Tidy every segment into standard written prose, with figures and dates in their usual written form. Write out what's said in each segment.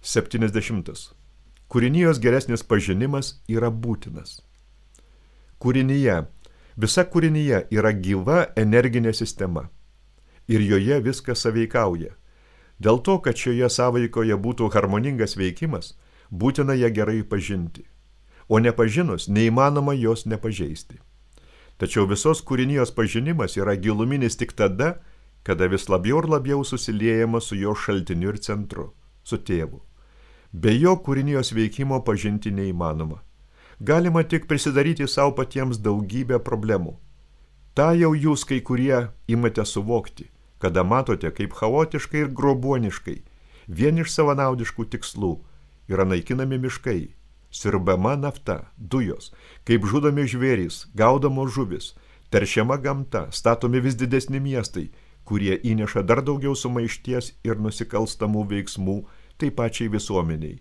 70. Kūrinijos geresnis pažinimas yra būtinas. Visa kūrinyje yra gyva energinė sistema ir joje viskas sąveikauja. Dėl to, kad šioje sąveikoje būtų harmoningas veikimas, būtina ją gerai pažinti, o nepažinus neįmanoma jos nepažeisti. Tačiau visos kūrinijos pažinimas yra giluminis tik tada, kada vis labiau ir labiau susiliejama su jo šaltiniu ir centru, su tėvu. Be jo kūrinijos veikimo pažinti neįmanoma. Galima tik prisidaryti savo patiems daugybę problemų. Ta jau jūs kai kurie imate suvokti, kada matote, kaip chaotiškai ir grobuoniškai, vien iš savanaudiškų tikslų, yra naikinami miškai, siurbama nafta, dujos, kaip žudomi žvėrys, gaudamos žuvis, teršiama gamta, statomi vis didesni miestai, kurie įneša dar daugiau sumaišties ir nusikalstamų veiksmų tai pačiai visuomeniai,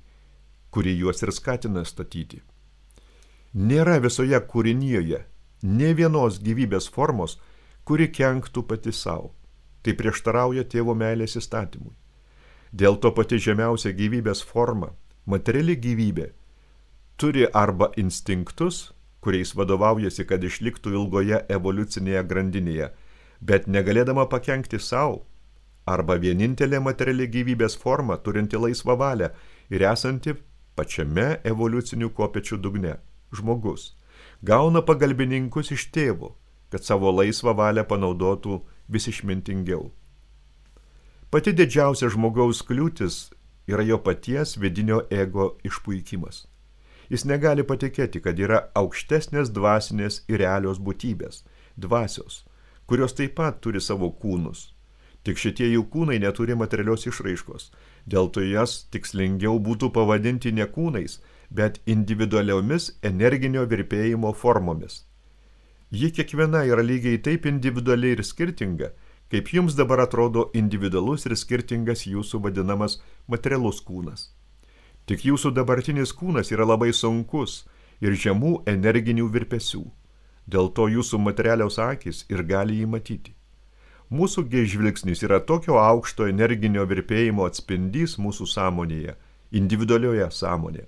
kuri juos ir skatina statyti. Nėra visoje kūrinijoje nė vienos gyvybės formos, kuri kenktų pati savo. Tai prieštarauja tėvo meilės įstatymui. Dėl to pati žemiausia gyvybės forma, materiali gyvybė, turi arba instinktus, kuriais vadovaujasi, kad išliktų ilgoje evoliucinėje grandinėje, bet negalėdama pakenkti savo, arba vienintelė materiali gyvybės forma, turinti laisvą valią ir esanti pačiame evoliucinių kopėčių dugne. Žmogus gauna pagalbininkus iš tėvo, kad savo laisvą valią panaudotų vis išmintingiau. Pati didžiausia žmogaus kliūtis yra jo paties vidinio ego išpuikimas. Jis negali patikėti, kad yra aukštesnės dvasinės ir realios būtybės, dvasios, kurios taip pat turi savo kūnus. Tik šitie jų kūnai neturi materialios išraiškos, dėl to jas tikslingiau būtų pavadinti ne kūnais, bet individualiomis energinio virpėjimo formomis. Ji kiekviena yra lygiai taip individuali ir skirtinga, kaip jums dabar atrodo individualus ir skirtingas jūsų vadinamas materialus kūnas. Tik jūsų dabartinis kūnas yra labai sunkus ir žemų energinių virpesių, dėl to jūsų materialios akys ir gali jį matyti. Mūsų žvilgsnis yra tokio aukšto energinio virpėjimo atspindys mūsų sąmonėje, individualioje sąmonėje,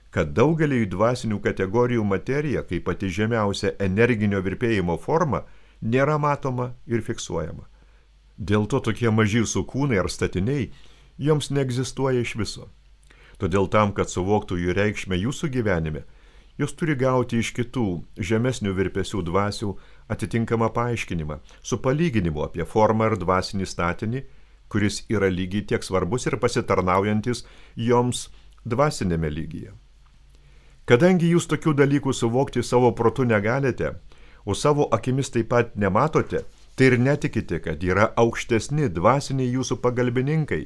kad daugeliui dvasinių kategorijų materija, kaip pati žemiausia energinio virpėjimo forma, nėra matoma ir fiksuojama. Dėl to tokie maži jūsų kūnai ar statiniai joms neegzistuoja iš viso. Todėl tam, kad suvoktų jų reikšmę jūsų gyvenime, jos turi gauti iš kitų žemesnių virpesių dvasių atitinkamą paaiškinimą, su palyginimu apie formą ir dvasinį statinį, kuris yra lygiai tiek svarbus ir pasitarnaujantis joms dvasinėme lygyje. Kadangi jūs tokių dalykų suvokti savo protu negalite, o savo akimis taip pat nematote, tai ir netikite, kad yra aukštesni dvasiniai jūsų pagalbininkai,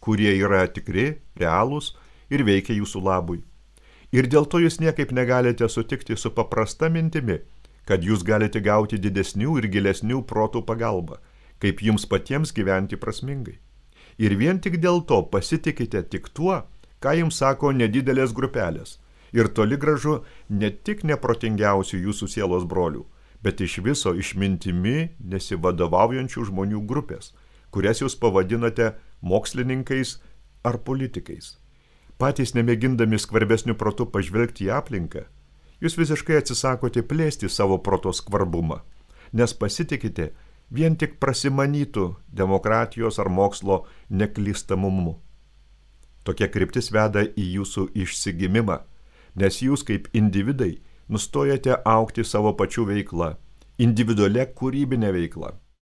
kurie yra tikri, realūs ir veikia jūsų labui. Ir dėl to jūs niekaip negalite sutikti su paprasta mintimi, kad jūs galite gauti didesnių ir gilesnių protų pagalbą, kaip jums patiems gyventi prasmingai. Ir vien tik dėl to pasitikite tik tuo, ką jums sako nedidelės grupelės, ir toli gražu ne tik neprotingiausių jūsų sielos brolių, bet iš viso išmintimi nesivadovaujančių žmonių grupės, kurias jūs pavadinate mokslininkais ar politikais. Patys nemėgindami skvarbesnių protų pažvelgti į aplinką, jūs visiškai atsisakote plėsti savo proto skvarbumą, nes pasitikite vien tik prasimanytų demokratijos ar mokslo neklystamumu. Tokia kryptis veda į jūsų išsigimimą, nes jūs kaip individai nustojate augti savo pačių veiklą, individualia kūrybinė veikla.